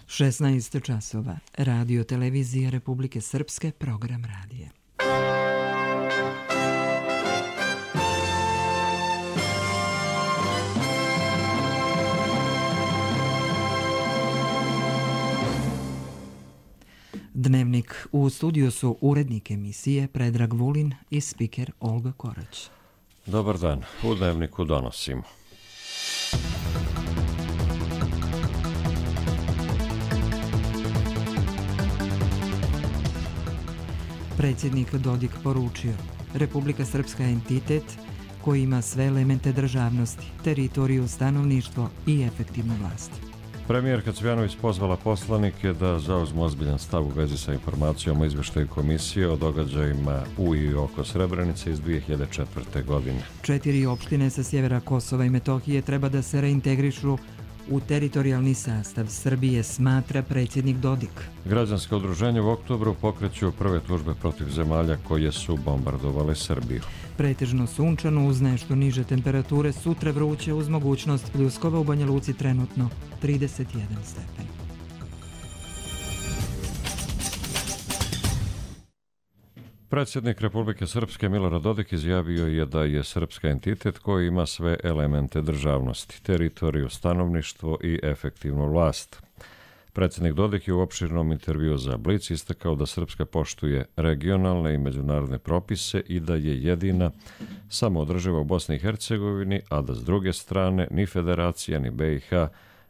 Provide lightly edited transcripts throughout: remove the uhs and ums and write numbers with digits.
16 časova. Radio televizije Republike Srpske, program radije. Dnevnik. U studiju su urednik emisije Predrag Vulin i spiker Olga Korać. Dobar dan. U Dnevniku donosimo. Predsjednik Dodik poručio: Republika Srpska je entitet koji ima sve elemente državnosti, teritoriju, stanovništvo i efektivnu vlast. Premijerka Cvjanović pozvala poslanike da zauzmu ozbiljan stav u vezi sa informacijom o izveštaju komisije o događajima u i oko Srebrenice iz 2004. godine. 4 opštine sa sjevera Kosova i Metohije treba da se reintegrišu u teritorijalni sastav Srbije, smatra predsjednik Dodik. Građanske udruženje u oktobru pokreću prve tužbe protiv zemalja koje su bombardovale Srbiju. Pretežno sunčano uz nešto niže temperature, sutra vruće uz mogućnost pljuskova, u Banja Luci trenutno 31 stepen. Predsjednik Republike Srpske Milorad Dodik izjavio je da je srpska entitet koji ima sve elemente državnosti, teritoriju, stanovništvo i efektivnu vlast. Predsjednik Dodik je u opširnom intervjuu za Blic istakao da Srpska poštuje regionalne i međunarodne propise i da je jedina samoodrživa u Bosni i Hercegovini, a da s druge strane ni Federacija ni BiH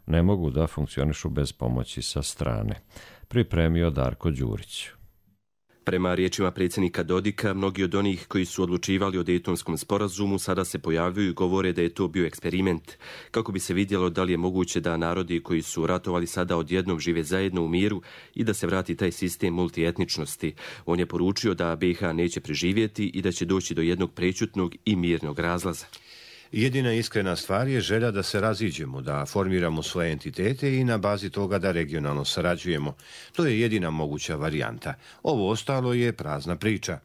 ne mogu da funkcionišu bez pomoći sa strane. Pripremio Darko Đurić. Prema riječima predsjednika Dodika, mnogi od onih koji su odlučivali o Dejtonskom sporazumu sada se pojavljuju i govore da je to bio eksperiment, kako bi se vidjelo da li je moguće da narodi koji su ratovali sada odjednom žive zajedno u miru i da se vrati taj sistem multietničnosti. On je poručio da BiH neće preživjeti i da će doći do jednog prećutnog i mirnog razlaza. Jedina iskrena stvar je želja da se raziđemo, da formiramo svoje entitete i na bazi toga da regionalno sarađujemo. To je jedina moguća varijanta. Ovo ostalo je prazna priča.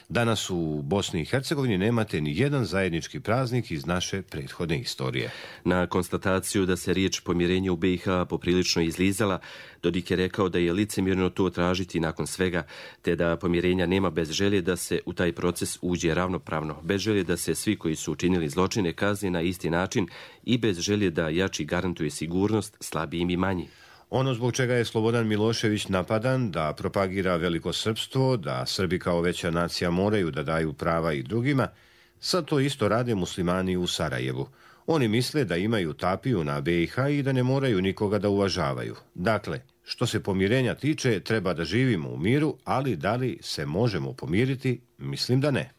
Danas u Bosni i Hercegovini nemate ni jedan zajednički praznik iz naše prethodne istorije. Na konstataciju da se riječ pomirenje u BiH poprilično izlizala, Dodik je rekao da je licemjerno to tražiti nakon svega, te da pomirenja nema bez želje da se u taj proces uđe ravnopravno, bez želje da se svi koji su učinili zločine kazni na isti način i bez želje da jači garantuje sigurnost slabijim i manji. Ono zbog čega je Slobodan Milošević napadan, da propagira velikosrpstvo, da Srbi kao veća nacija moraju da daju prava i drugima, sad to isto rade muslimani u Sarajevu. Oni misle da imaju tapiju na BiH i da ne moraju nikoga da uvažavaju. Dakle, što se pomirenja tiče, treba da živimo u miru, ali da li se možemo pomiriti? Mislim da ne.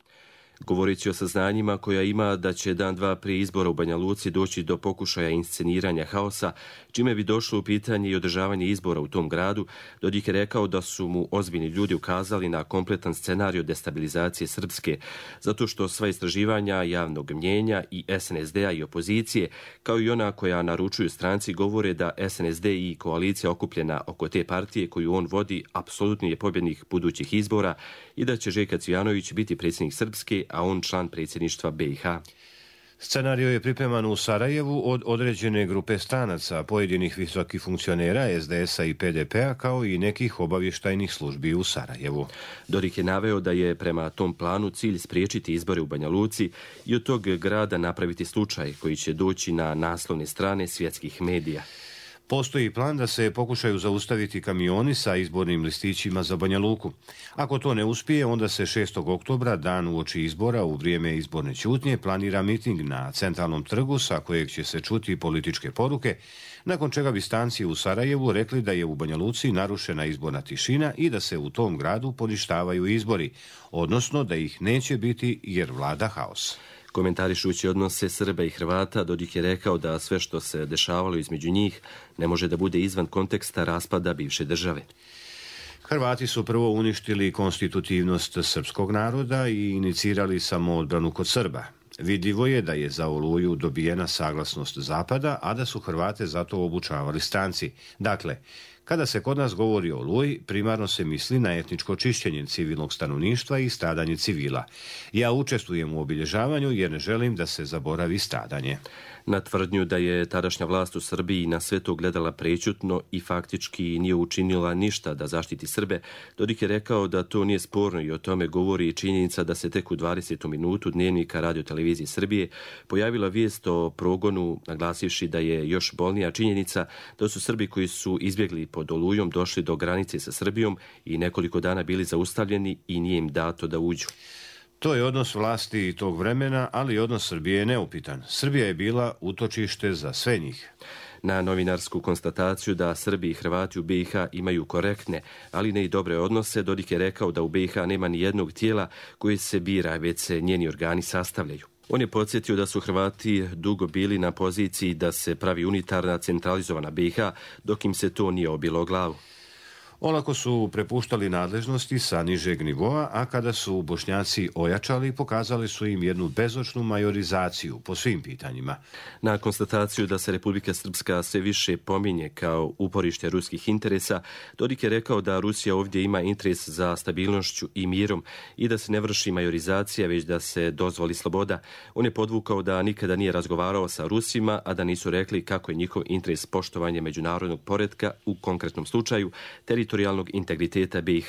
Govoreći o saznanjima koja ima da će dan dva prije izbora u Banja Luci doći do pokušaja insceniranja haosa, čime bi došlo u pitanje i održavanje izbora u tom gradu, Dodik je rekao da su mu ozbiljni ljudi ukazali na kompletan scenarij destabilizacije Srpske, zato što sva istraživanja javnog mnjenja i SNSD-a i opozicije, kao i ona koja naručuju stranci, govore da SNSD i koalicija okupljena oko te partije koju on vodi apsolutni je pobjednik budućih izbora i da će Željko Cvjanović biti predsjednik Srpske, a on član predsjedništva BiH. Scenario je pripreman u Sarajevu od određene grupe stranaca, pojedinih visokih funkcionera SDS-a i PDP-a, kao i nekih obavještajnih službi u Sarajevu. Dodik je naveo da je prema tom planu cilj spriječiti izbore u Banja Luci i od tog grada napraviti slučaj koji će doći na naslovne strane svjetskih medija. Postoji plan da se pokušaju zaustaviti kamioni sa izbornim listićima za Banja Luku. Ako to ne uspije, onda se 6. oktobra, dan uoči izbora, u vrijeme izborne ćutnje, planira miting na centralnom trgu sa kojeg će se čuti političke poruke, nakon čega bi stanci u Sarajevu rekli da je u Banja Luci narušena izborna tišina i da se u tom gradu poništavaju izbori, odnosno da ih neće biti jer vlada haos. Komentarišući odnose Srba i Hrvata, Dodik je rekao da sve što se dešavalo između njih ne može da bude izvan konteksta raspada bivše države. Hrvati su prvo uništili konstitutivnost srpskog naroda i inicirali samoodbranu kod Srba. Vidljivo je da je za Oluju dobijena saglasnost Zapada, a da su Hrvate zato obučavali stranci. Dakle, Kada se kod nas govori o Oluji, primarno se misli na etničko čišćenje civilnog stanovništva i stradanje civila. Ja učestvujem u obilježavanju jer ne želim da se zaboravi stradanje. Na tvrdnju da je tadašnja vlast u Srbiji na sve to gledala prećutno i faktički nije učinila ništa da zaštiti Srbe, Dodik je rekao da to nije sporno i o tome govori i činjenica da se tek u 20. minutu Dnevnika Radio-televizije Srbije pojavila vijest o progonu, naglasivši da je još bolnija činjenica da su Srbi koji su izbjegli pod Olujom došli do granice sa Srbijom i nekoliko dana bili zaustavljeni i nije im dato da uđu. To je odnos vlasti tog vremena, ali odnos Srbije je neupitan. Srbija je bila utočište za sve njih. Na novinarsku konstataciju da Srbi i Hrvati u BiH imaju korektne, ali ne i dobre odnose, Dodik je rekao da u BiH nema ni jednog tijela koji se bira, već se njeni organi sastavljaju. On je podsjetio da su Hrvati dugo bili na poziciji da se pravi unitarna, centralizovana BiH, dok im se to nije obilo o glavu. Olako su prepuštali nadležnosti sa nižeg nivoa, a kada su Bošnjaci ojačali, pokazali su im jednu bezočnu majorizaciju po svim pitanjima. Na konstataciju da se Republika Srpska sve više pominje kao uporište ruskih interesa, Dodik je rekao da Rusija ovdje ima interes za stabilnošću i mirom i da se ne vrši majorizacija, već da se dozvoli sloboda. On je podvukao da nikada nije razgovarao sa Rusima, a da nisu rekli kako je njihov interes poštovanje međunarodnog poretka, u konkretnom slučaju teritorijalnog integriteta BiH,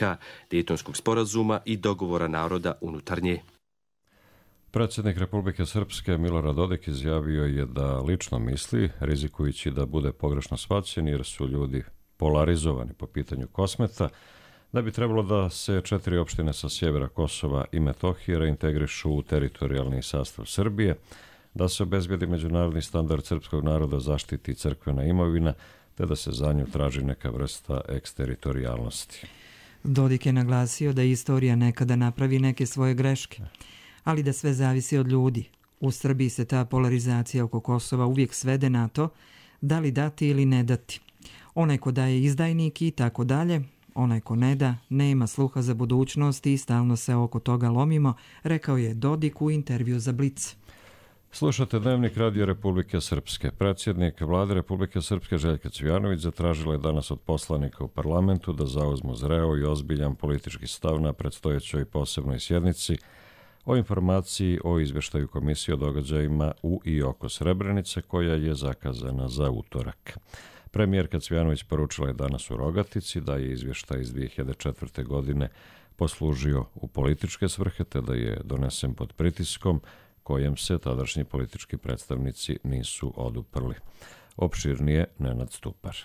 Dejtonskog sporazuma i dogovora naroda unutar nje. Predsjednik Republike Srpske Milorad Dodik izjavio je da lično misli, rizikujući da bude pogrešno shvaćen jer su ljudi polarizovani po pitanju Kosmeta, da bi trebalo da se 4 opštine sa sjevera Kosova i Metohije reintegrišu u teritorijalni sastav Srbije, da se obezbedi međunarodni standard srpskog naroda, zaštiti crkvena imovina, te da se za nju traži neka vrsta eksteritorijalnosti. Dodik je naglasio da istorija nekada napravi neke svoje greške, ali da sve zavisi od ljudi. U Srbiji se ta polarizacija oko Kosova uvijek svede na to da li dati ili ne dati. Onaj ko daje izdajnik i tako dalje, onaj ko ne da, nema sluha za budućnost i stalno se oko toga lomimo, rekao je Dodik u intervju za Blic. Slušate Dnevnik Radio Republike Srpske. Predsjednik Vlade Republike Srpske Željka Cvijanović zatražila je danas od poslanika u parlamentu da zauzmu zreo i ozbiljan politički stav na predstojećoj posebnoj sjednici o informaciji o izvještaju komisije o događajima u i oko Srebrenice koja je zakazana za utorak. Premijerka Cvijanović poručila je danas u Rogatici da je izvještaj iz 2004. godine poslužio u političke svrhe te da je donesen pod pritiskom kojem se tadašnji politički predstavnici nisu oduprli. Opširnije Nenad Stupar.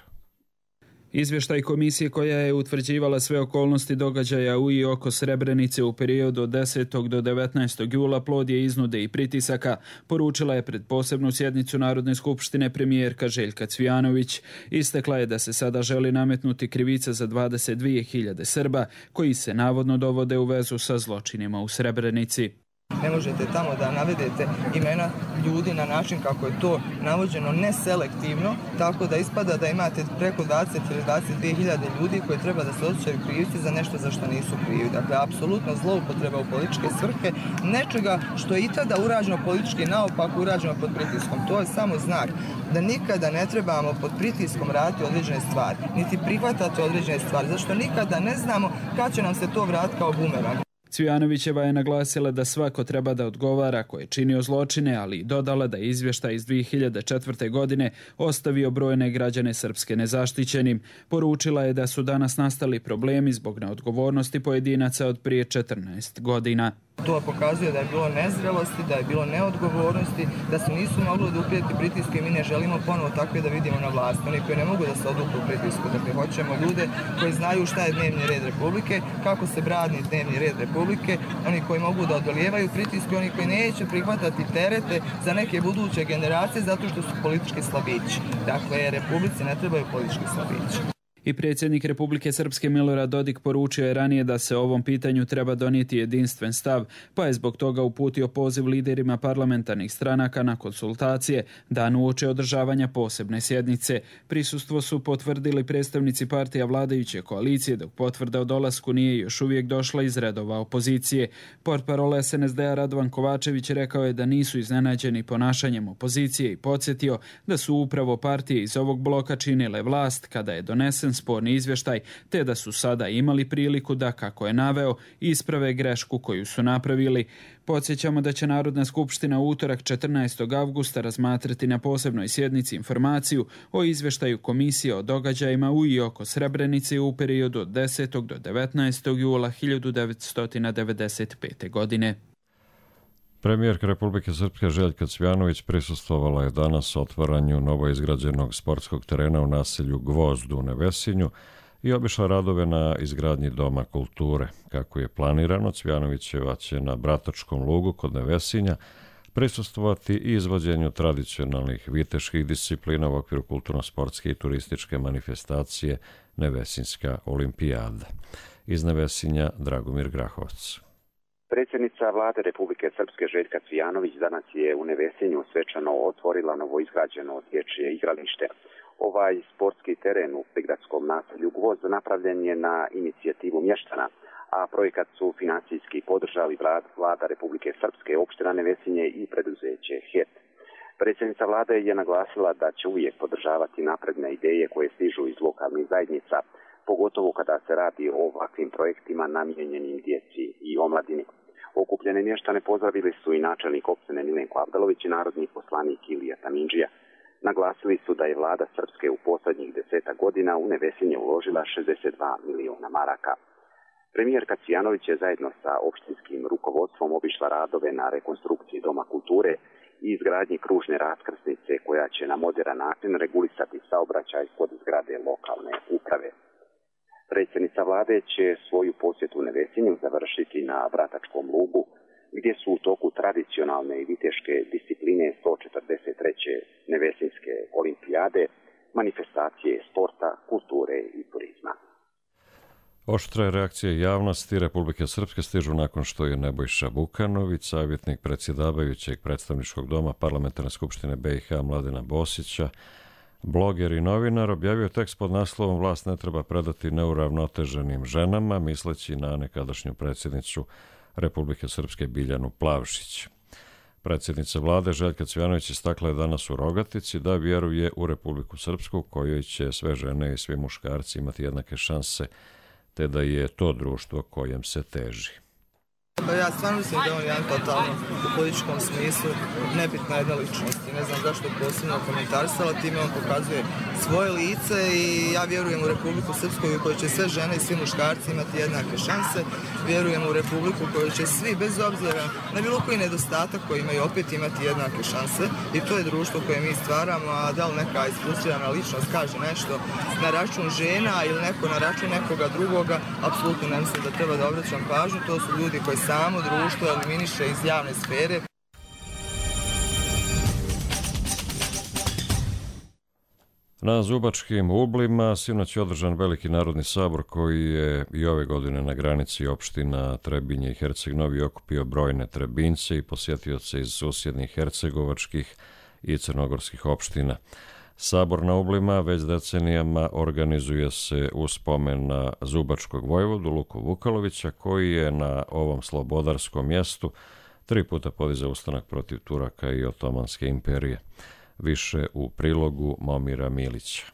Izvještaj komisije koja je utvrđivala sve okolnosti događaja u i oko Srebrenice u periodu od 10. do 19. jula plod je iznude i pritisaka, poručila je pred posebnu sjednicu Narodne skupštine premijerka Željka Cvijanović. Istakla je da se sada želi nametnuti krivica za 22.000 Srba koji se navodno dovode u vezu sa zločinima u Srebrenici. Ne možete tamo da navedete imena ljudi na način kako je to navođeno neselektivno, tako da ispada da imate preko 20 ili 22.000 ljudi koji treba da se osjećaju krivci za nešto za što nisu krivi. Dakle, apsolutno zloupotreba u političke svrhe nečega što je i tada urađeno politički naopako, urađeno pod pritiskom. To je samo znak da nikada ne trebamo pod pritiskom raditi određene stvari, niti prihvatati određene stvari, zašto nikada ne znamo kad će nam se to vratiti kao bumerang. Cvijanovićeva je naglasila da svako treba da odgovara ko je činio zločine, ali i dodala da je izvještaj iz 2004. godine ostavio brojne građane Srpske nezaštićenim. Poručila je da su danas nastali problemi zbog neodgovornosti pojedinaca od prije 14 godina. To pokazuje da je bilo nezrelosti, da je bilo neodgovornosti, da se nisu mogli oduprijeti pritiske i mi ne želimo ponovo takve da vidimo na vlasti. Oni koji ne mogu da se odupru pritisku, dakle hoćemo ljude koji znaju šta je dnevni red Republike, kako se brani dnevni red Republike, oni koji mogu da odolijevaju pritiske, oni koji neće prihvatati terete za neke buduće generacije zato što su politički slabići. Dakle, Republici ne trebaju politički slabići. I predsjednik Republike Srpske Milorad Dodik poručio je ranije da se o ovom pitanju treba donijeti jedinstven stav, pa je zbog toga uputio poziv liderima parlamentarnih stranaka na konsultacije dan uoči održavanja posebne sjednice. Prisustvo su potvrdili predstavnici partija vladajuće koalicije, dok potvrda o dolasku nije još uvijek došla iz redova opozicije. Portparol SNSD-a Radovan Kovačević rekao je da nisu iznenađeni ponašanjem opozicije i podsjetio da su upravo partije iz ovog bloka činile vlast kada je donesen jedan sporni izvještaj, te da su sada imali priliku da, kako je naveo, isprave grešku koju su napravili. Podsjećamo da će Narodna skupština u utorak 14. avgusta razmatrati na posebnoj sjednici informaciju o izvještaju komisije o događajima u i oko Srebrenice u periodu od 10. do 19. jula 1995. godine. Premijerka Republike Srpske Željka Cvjanović prisustvovala je danas otvaranju novoizgrađenog sportskog terena u naselju Gvozd u Nevesinju i obišla radove na izgradnji Doma kulture. Kako je planirano, Cvjanovićeva će na Bratačkom lugu kod Nevesinja prisustvovati i izvođenju tradicionalnih viteških disciplina u okviru kulturno-sportske i turističke manifestacije Nevesinjska olimpijada. Iz Nevesinja Dragomir Grahovac. Predsjednica vlade Republike Srpske Željka Cvjanović danas je u Nevesinju svečano otvorila novoizgrađeno dječje igralište. Ovaj sportski teren u prigradskom naselju Gvozd napravljen je na inicijativu mještana, a projekat su financijski podržali vlada Republike Srpske, opština Nevesinje i preduzeće HEP. Predsjednica vlade je naglasila da će uvijek podržavati napredne ideje koje stižu iz lokalnih zajednica, pogotovo kada se radi o ovakvim projektima namijenjenim djeci i omladini. Okupljene mještane pozdravili su i načelnik opštine Milenko Avdalović i narodni poslanik Ilija Tamindžija. Naglasili su da je vlada Srpske u posljednjih 10 godina u Nevesinje uložila 62 miliona maraka. Premijerka Cvjanović je zajedno sa opštinskim rukovodstvom obišla radove na rekonstrukciji Doma kulture i izgradnji kružne raskrsnice koja će na moderan način regulisati saobraćaj kod zgrade lokalne uprave. Predsjednica vlade će svoju posjetu Nevesinju završiti na Bratačkom lugu, gdje su u toku tradicionalne i viteške discipline 143. Nevesinjske olimpijade, manifestacije sporta, kulture i turizma. Oštre reakcije javnosti Republike Srpske stižu nakon što je Nebojša Vukanović, savjetnik predsjedavajućeg predstavničkog doma Parlamentarne skupštine BiH Mladena Bosića, bloger i novinar, objavio tekst pod naslovom "Vlast ne treba predati neuravnoteženim ženama", misleći na nekadašnju predsjednicu Republike Srpske Biljanu Plavšić. Predsjednica vlade Željka Cvjanović istakla je danas u Rogatici da vjeruje u Republiku Srpsku kojoj će sve žene i svi muškarci imati jednake šanse, te da je to društvo kojem se teži. Ja stvarno mislim da on je jedan totalno u političkom smislu nebitna jedna ličnost i ne znam zašto posebno komentarisala, time on pokazuje svoje lice i ja vjerujem u Republiku Srpsku u kojoj će sve žene i svi muškarci imati jednake šanse, vjerujem u Republiku u kojoj će svi bez obzira na bilo koji nedostatak koji imaju opet imati jednake šanse i to je društvo koje mi stvaramo, a da li neka isfrustrirana ličnost kaže nešto na račun žena ili neko na račun nekoga drugoga, apsolutno ne mislim da treba da obraćam pažnju, to su ljudi koji samo društvo eliminiše iz javne sfere. Na Zubačkim Ublima sinoć je održan veliki narodni sabor koji je i ove godine na granici opština Trebinje i Herceg Novi okupio brojne Trebinjce i posjetioce iz susjednih hercegovačkih i crnogorskih opština. Sabor na Ublima već decenijama organizuje se u spomen na zubačkog vojvodu Luku Vukalovića, koji je na ovom slobodarskom mjestu 3 puta podizao ustanak protiv Turaka i Otomanske imperije. Više u prilogu Momira Milića.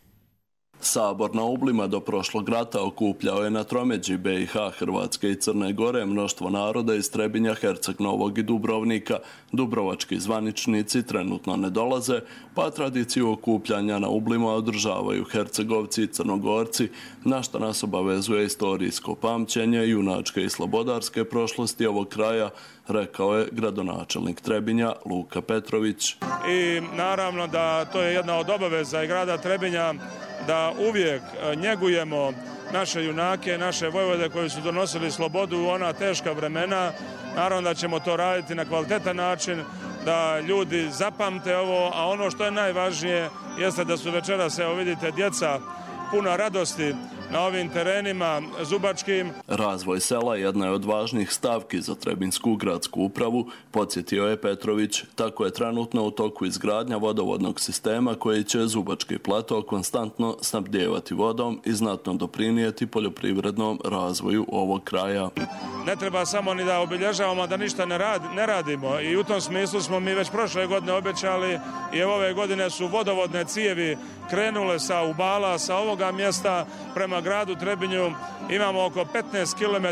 Sabor na Ublima do prošlog rata okupljao je na tromeđi BiH, Hrvatske i Crne Gore mnoštvo naroda iz Trebinja, Herceg Novog i Dubrovnika. Dubrovački zvaničnici trenutno ne dolaze, pa tradiciju okupljanja na Ublima održavaju Hercegovci i Crnogorci, na što nas obavezuje istorijsko pamćenje junačke i slobodarske prošlosti ovog kraja, rekao je gradonačelnik Trebinja Luka Petrović. I naravno da to je jedna od obaveza i grada Trebinja da uvijek njegujemo naše junake, naše vojvode koji su donosili slobodu u ona teška vremena. Naravno da ćemo to raditi na kvalitetan način, da ljudi zapamte ovo, a ono što je najvažnije jeste da su večeras, evo vidite, djeca puna radosti na ovim terenima zubačkim. Razvoj sela jedna je od važnih stavki za Trebinsku gradsku upravu, podsjetio je Petrović. Tako je trenutno u toku izgradnja vodovodnog sistema koji će Zubački plato konstantno snabdijevati vodom i znatno doprinijeti poljoprivrednom razvoju ovog kraja. Ne treba samo ni da obilježavamo da ništa ne radimo i u tom smislu smo mi već prošle godine obećali i ove godine su vodovodne cijevi krenule sa Ubala, sa ovoga mjesta prema gradu Trebinju. Imamo oko 15 km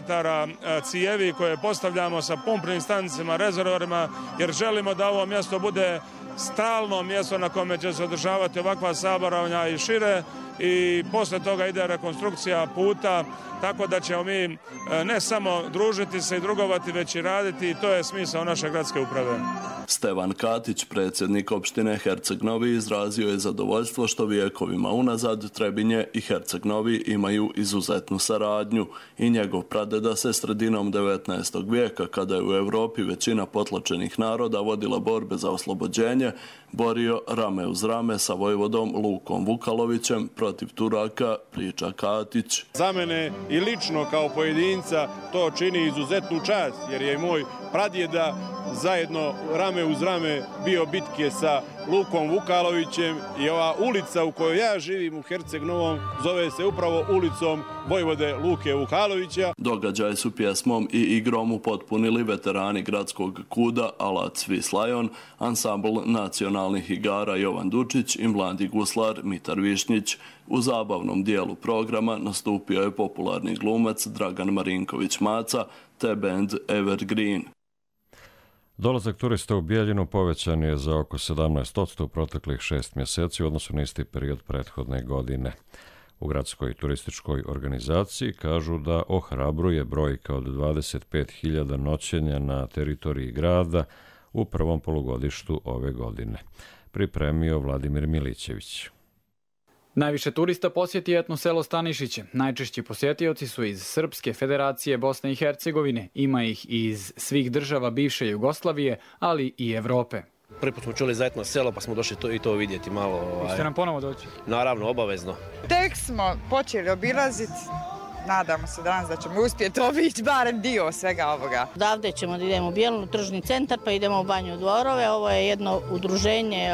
cijevi koje postavljamo sa pumpnim stanicama, rezervorima, jer želimo da ovo mjesto bude stalno mjesto na kome će se održavati ovakva saboravanja i šire, i poslije toga ide rekonstrukcija puta, tako da ćemo mi ne samo družiti se i drugovati, već i raditi, i to je smisao naše gradske uprave. Stevan Katić, predsjednik opštine Herceg Novi, izrazio je zadovoljstvo što vjekovima unazad Trebinje i Herceg Novi imaju izuzetnu saradnju i njegov pradeda se sredinom 19. vijeka, kada je u Europi većina potlačenih naroda vodila borbe za oslobođenje, borio rame uz rame sa vojvodom Lukom Vukalovićem protiv Turaka, priča Katić. Za mene i lično kao pojedinca to čini izuzetnu čast, jer je moj pradjeda zajedno rame uz rame bio bitke sa Lukom Vukalovićem i ova ulica u kojoj ja živim u Herceg Novom zove se upravo ulicom vojvode Luke Vukalovića. Događaj su pjesmom i igrom upotpunili veterani gradskog kuda Alat Svis Lajon, ansambl nacionalnih igara Jovan Dučić i mladi guslar Mitar Višnjić. U zabavnom dijelu programa nastupio je popularni glumac Dragan Marinković Maca te band Evergreen. Dolazak turista u Bijeljinu povećan je za oko 17% u proteklih 6 mjeseci u odnosu na isti period prethodne godine. U gradskoj turističkoj organizaciji kažu da ohrabruje brojka od 25.000 noćenja na teritoriji grada u prvom polugodištu ove godine. Pripremio Vladimir Milićević. Najviše turista posjeti etno selo Stanišiće. Najčešći posjetioci su iz Srpske federacije Bosne i Hercegovine. Ima ih iz svih država bivše Jugoslavije, ali i Evrope. Prvi put smo čuli za etno selo pa smo došli i to vidjeti malo. Hoćete nam ponovo doći? Naravno, obavezno. Tek smo počeli obilaziti. Nadamo se danas da ćemo uspjeti obići barem dio svega ovoga. Odavde ćemo da idemo u Bijelinu, tržni centar, pa idemo u Banju Dvorove. Ovo je jedno udruženje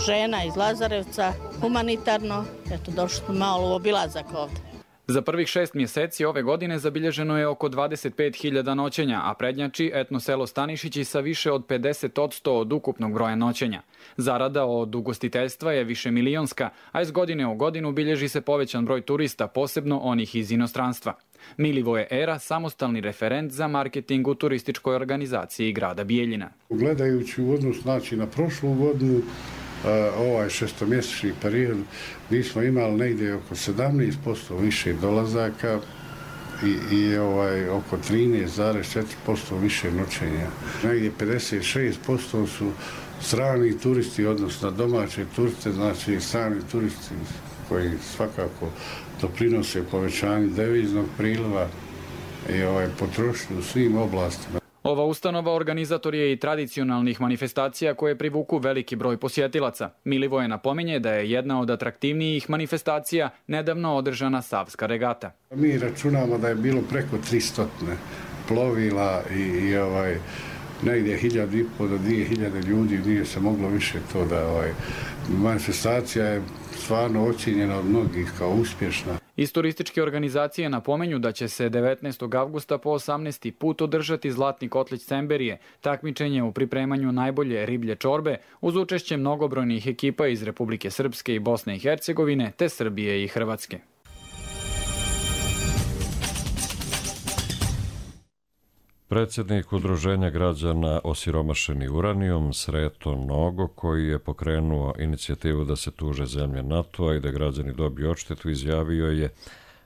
žena iz Lazarevca, humanitarno. Eto, došli smo malo u obilazak ovdje. Za prvih 6 mjeseci ove godine zabilježeno je oko 25.000 noćenja, a prednjači etno selo Stanišići sa više od 50% od ukupnog broja noćenja. Zarada od ugostiteljstva je višemilionska, a iz godine u godinu bilježi se povećan broj turista, posebno onih iz inostranstva. Milivoje Era, samostalni referent za marketing u turističkoj organizaciji grada Bijeljina. Gledajući u odnos na prošlu godinu, ovaj šestomjesečni period, mi smo imali negdje oko 17% više dolazaka i oko 13,4% više noćenja. Negdje 56% su strani turisti, odnosno domaće turiste, znači strani turisti koji svakako doprinose povećanju deviznog priliva i potrošnju u svim oblastima. Ova ustanova organizator je i tradicionalnih manifestacija koje privuku veliki broj posjetilaca. Milivoje napominje da je jedna od atraktivnijih manifestacija nedavno održana Savska regata. Mi računamo da je bilo preko 300 plovila i negdje 1.500 do 2.000 ljudi, nije se moglo više to da manifestacija je stvarno ocjenjena od mnogih kao uspješna. Iz turističke organizacije napomenju da će se 19. avgusta po 18. put održati Zlatni kotlić Semberije, takmičenje u pripremanju najbolje riblje čorbe uz učešće mnogobrojnih ekipa iz Republike Srpske i Bosne i Hercegovine te Srbije i Hrvatske. Predsjednik Udruženja građana Osiromašeni uranijum Sreto Nogo, koji je pokrenuo inicijativu da se tuže zemlje NATO-a i da građani dobiju odštetu, izjavio je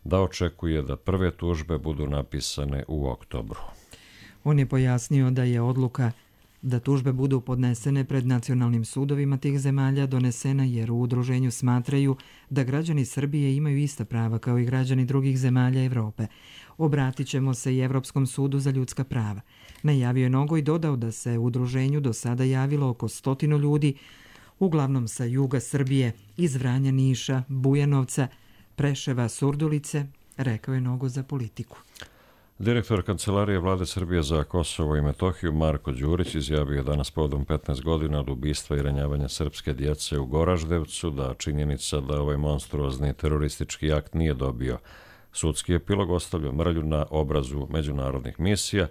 da očekuje da prve tužbe budu napisane u oktobru. On je pojasnio da je odluka da tužbe budu podnesene pred nacionalnim sudovima tih zemalja donesena jer u udruženju smatraju da građani Srbije imaju ista prava kao i građani drugih zemalja Evrope. Obratit ćemo se i Evropskom sudu za ljudska prava. Najavio je Nogo i dodao da se u udruženju do sada javilo oko 100 ljudi, uglavnom sa juga Srbije, iz Vranja, Niša, Bujanovca, Preševa, Surdulice, rekao je Nogo za Politiku. Direktor Kancelarije Vlade Srbije za Kosovo i Metohiju Marko Đurić izjavio je danas povodom 15 godina od ubistva i ranjavanja srpske djece u Goraždevcu da činjenica da ovaj monstruozni teroristički akt nije dobio sudski epilog ostavlja mrlju na obrazu međunarodnih misija,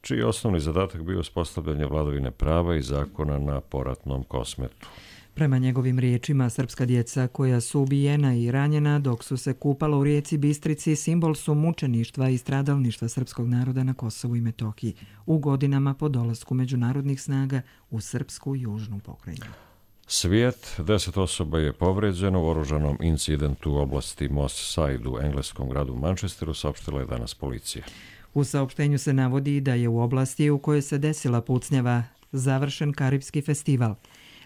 čiji osnovni zadatak bio uspostavljanje vladavine prava i zakona na poratnom kosmetu. Prema njegovim riječima, srpska djeca koja su ubijena i ranjena dok su se kupala u rijeci Bistrici simbol su mučeništva i stradalništva srpskog naroda na Kosovu i Metohiji u godinama po dolasku međunarodnih snaga u srpsku južnu pokrajinu. Svijet, 10 osoba je povređeno u oružanom incidentu u oblasti Moss Side u engleskom gradu Manchesteru, saopštila je danas policija. U saopštenju se navodi da je u oblasti u kojoj se desila pucnjava završen Karipski festival.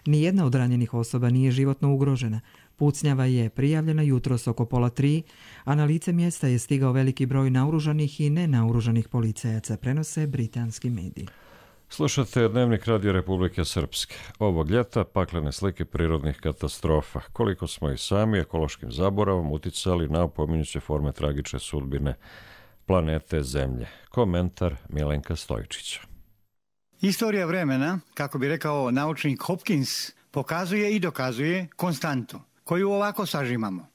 Nijedna od ranjenih osoba nije životno ugrožena. Pucnjava je prijavljena jutros oko 2:30, a na lice mjesta je stigao veliki broj naoružanih i nenaoružanih policajaca, prenose britanski mediji. Slušate Dnevnik Radio Republike Srpske. Ovog ljeta paklene slike prirodnih katastrofa. Koliko smo i sami ekološkim zaboravom uticali na opominjuće forme tragične sudbine planete Zemlje. Komentar Milenka Stojčića. Istorija vremena, kako bi rekao naučnik Hopkins, pokazuje i dokazuje konstantu, koju ovako sažimamo.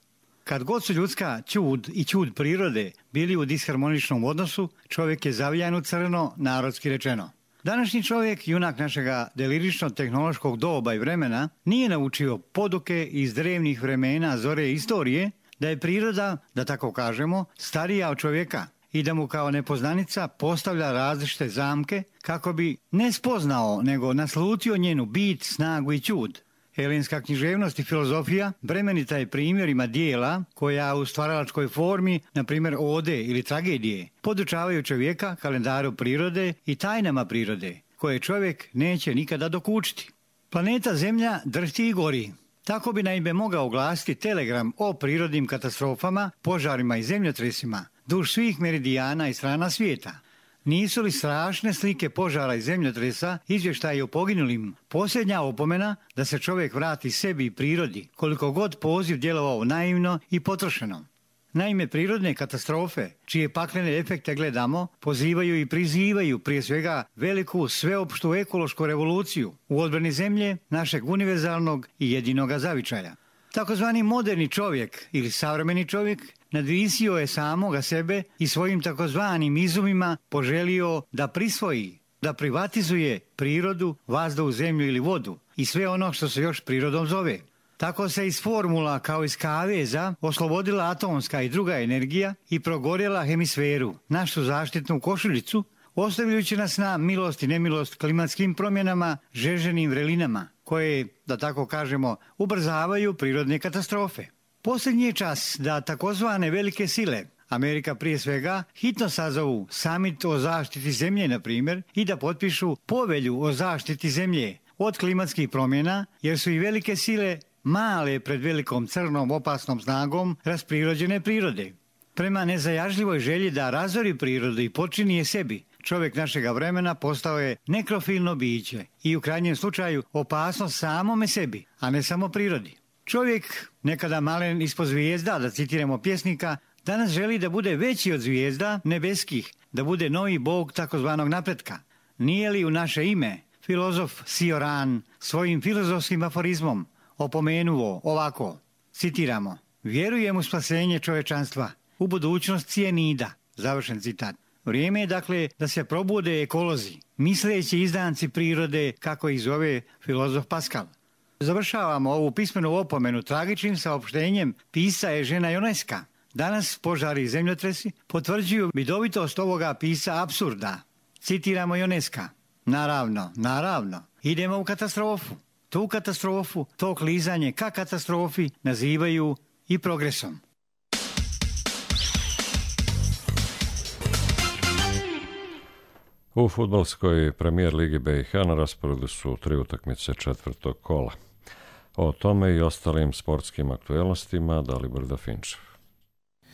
Kad god su ljudska ćud i ćud prirode bili u disharmoničnom odnosu, čovjek je zavijan u crno, narodski rečeno. Današnji čovjek, junak našega delirično-tehnološkog doba i vremena, nije naučio poduke iz drevnih vremena zore istorije, da je priroda, da tako kažemo, starija od čovjeka i da mu kao nepoznanica postavlja različite zamke kako bi ne spoznao, nego naslutio njenu bit, snagu i ćud. Helenska književnost i filozofija bremenita je primjerima dijela koja u stvaralačkoj formi, na primjer ode ili tragedije, podučavaju čovjeka kalendaru prirode i tajnama prirode, koje čovjek neće nikada dokučiti. Planeta Zemlja drhti i gori. Tako bi naime mogao oglasiti telegram o prirodnim katastrofama, požarima i zemljotresima duž svih meridijana i strana svijeta. Nisu li strašne slike požara i zemljotresa izvještaji o poginulim posljednja opomena da se čovjek vrati sebi i prirodi, koliko god poziv djelovao naivno i potrošeno? Naime, prirodne katastrofe, čije paklene efekte gledamo, pozivaju i prizivaju prije svega veliku sveopštu ekološku revoluciju u odbrani zemlje, našeg univerzalnog i jedinoga zavičaja. Takozvani moderni čovjek ili savremeni čovjek nadvisio je samoga sebe i svojim takozvanim izumima poželio da prisvoji, da privatizuje prirodu, vazduh, zemlju ili vodu i sve ono što se još prirodom zove. Tako se iz formula kao iz kaveza oslobodila atomska i druga energija i progorjela hemisferu, našu zaštitnu košuljicu, ostavljajući nas na milost i nemilost klimatskim promjenama, žeženim vrelinama, koje, da tako kažemo, ubrzavaju prirodne katastrofe. Posljednji je čas da takozvane velike sile, Amerika prije svega, hitno sazovu samit o zaštiti zemlje, na primjer, i da potpišu povelju o zaštiti zemlje od klimatskih promjena, jer su i velike sile male pred velikom crnom opasnom snagom rasprirođene prirode. Prema nezajažljivoj želji da razori prirodu i počini je sebi, čovjek našega vremena postao je nekrofilno biće i u krajnjem slučaju opasnost samome sebi, a ne samo prirodi. Čovjek, nekada malen ispod zvijezda, da citiramo pjesnika, danas želi da bude veći od zvijezda nebeskih, da bude novi bog takozvanog napretka. Nije li u naše ime filozof Sioran svojim filozofskim aforizmom opomenuo ovako, citiramo, vjerujem u spasenje čovječanstva, u budućnost cijenida, završen citat. Vrijeme je dakle da se probude ekolozi, misleći izdanci prirode, kako ih zove filozof Pascal. Završavamo ovu pismenu opomenu tragičnim saopštenjem pisca Eugena Ionesca. Danas požari i zemljotresi potvrđuju vidovitost ovoga pisca apsurda. Citiramo Ionesca. Naravno, idemo u katastrofu. Tu katastrofu, to klizanje ka katastrofi nazivaju i progresom. U fudbalskoj premijer Ligi BiH na rasporedu su 3 utakmice četvrtog kola. O tome i ostalim sportskim aktuelnostima Dalibor Dafinčev.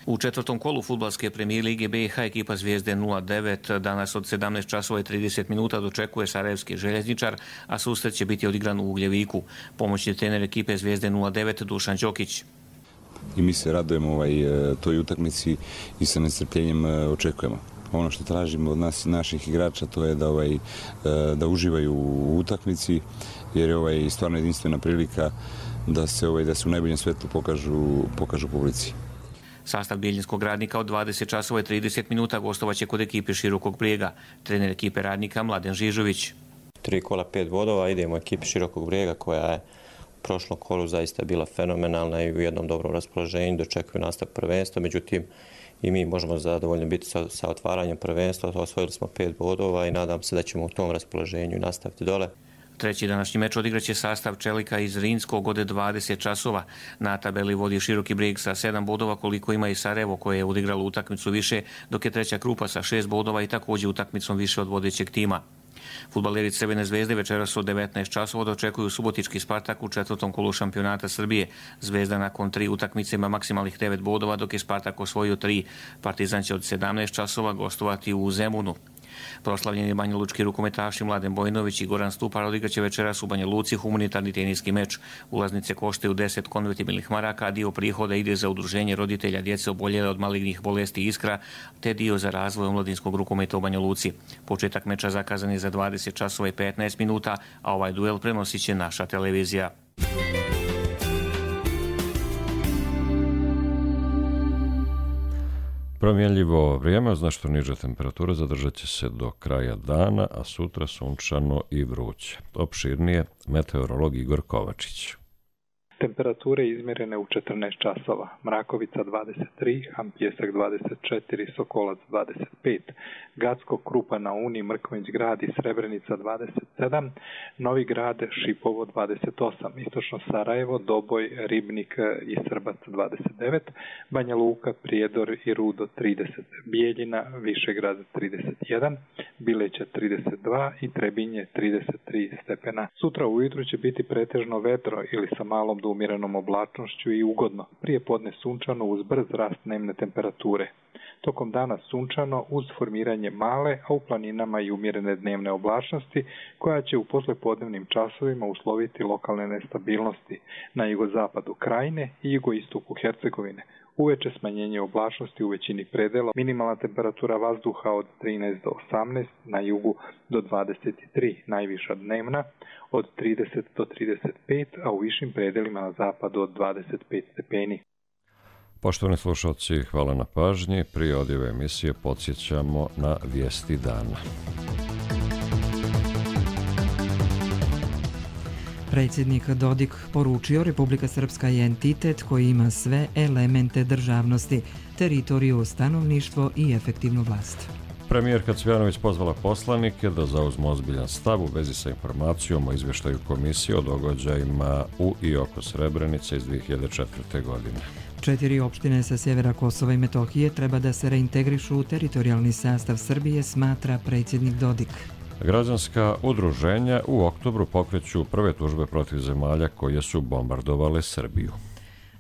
U četvrtom kolu fudbalske premijer Lige BiH ekipa Zvijezde 09 danas od 17 časova i 30 minuta dočekuje Sarajevski Željezničar, a susret će biti odigran u Ugljeviku. Pomoćni trener ekipe Zvijezde 09 Dušan Đokić. i mi se radujemo toj utakmici i sa nestrpljenjem očekujemo. Ono što tražimo od nas, naših igrača, to je da uživaju u utakmici, jer je stvarno jedinstvena prilika da se u najboljem svetlu pokažu publici. Sastav Bijeljinskog Radnika od 20 časova i 30 minuta gostovaće kod ekipe Širokog Brijega. Trener ekipe Radnika Mladen Žižović. 3 kola 5 bodova, idemo ekipi Širokog Brijega koja je u prošlom kolu zaista bila fenomenalna i u jednom dobrom raspoloženju, dočekuju nastavak prvenstva, međutim i mi možemo zadovoljno biti sa otvaranjem prvenstva, osvojili smo 5 bodova i nadam se da ćemo u tom raspoloženju nastaviti dole. Treći današnji meč odigraće sastav Čelika iz Rinskog od 20 časova. Na tabeli vodi Široki Brijeg sa 7 bodova koliko ima i Sarajevo koje je odigralo utakmicu više, dok je treća Krupa sa 6 bodova i također utakmicom više od vodećeg tima. Fudbaleri Crvene zvezde večeras od 19 časova dočekuju subotički Spartak u 4. kolu šampionata Srbije. Zvezda nakon 3 utakmice ima maksimalnih 9 bodova, dok je Spartak osvojio 3. Partizan će od 17 časova gostovati u Zemunu. Proslavljeni banjalučki rukometaši Mladen Bojnović i Goran Stupar odigraće večeras u Banja Luci humanitarni teniski meč. Ulaznice koštaju 10 konvertibilnih maraka, a dio prihoda ide za udruženje roditelja djece oboljele od malignih bolesti Iskra, te dio za razvoj omladinskog rukometa u Banja Luci. Početak meča zakazan je za 20 časova i 15 minuta, a ovaj duel prenosit će naša televizija. Promjenljivo vrijeme, znači što niža temperatura zadržat će se do kraja dana, a sutra sunčano i vruće. Opširnije meteorolog Igor Kovačić. Temperature izmjerene u 14 časova. Mrakovica 23, Hampjesak 24, Sokolac 25, Gacko, Krupa na Uni, Mrkonjić Grad i Srebrenica 27, Novi Grad, Šipovo 28, Istočno Sarajevo, Doboj, Ribnik i Srbac 29, Banja Luka, Prijedor i Rudo 30, Bijeljina, Višegrad 31, Bileća 32 i Trebinje 33 stepena. Sutra ujutru će biti pretežno vedro ili sa malom do umjerenom oblačnošću i ugodno. Prije podne sunčano uz brz rast dnevne temperature. Tokom dana sunčano uz formiranje male, a u planinama i umjerene dnevne oblačnosti, koja će u poslijepodnevnim časovima usloviti lokalne nestabilnosti na jugozapadu Krajine i jugoistoku Hercegovine. Uveče smanjenje oblačnosti u većini predela, minimalna temperatura vazduha od 13 do 18, na jugu do 23, najviša dnevna od 30 do 35, a u višim predelima na zapadu od 25 stepeni. Poštovani slušalci, hvala na pažnji. Prije odjave emisije podsjećamo na vijesti dana. Predsjednik Dodik poručio Republika Srpska je entitet koji ima sve elemente državnosti, teritoriju, stanovništvo i efektivnu vlast. Premijerka Cvjanović pozvala poslanike da zauzmu ozbiljan stav u vezi sa informacijom o izvještaju komisije o događajima u i oko Srebrenice iz 2004. godine. 4 opštine sa sjevera Kosova i Metohije treba da se reintegrišu u teritorijalni sastav Srbije, smatra predsjednik Dodik. Građanska udruženja u oktobru pokreću prve tužbe protiv zemalja koje su bombardovale Srbiju.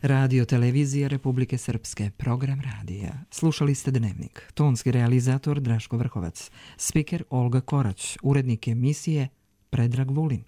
Radio televizija Republike Srpske, program radija. Slušali ste Dnevnik. Tonski realizator Draško Vrhovac. Spiker Olga Korać. Urednik emisije Predrag Vulin.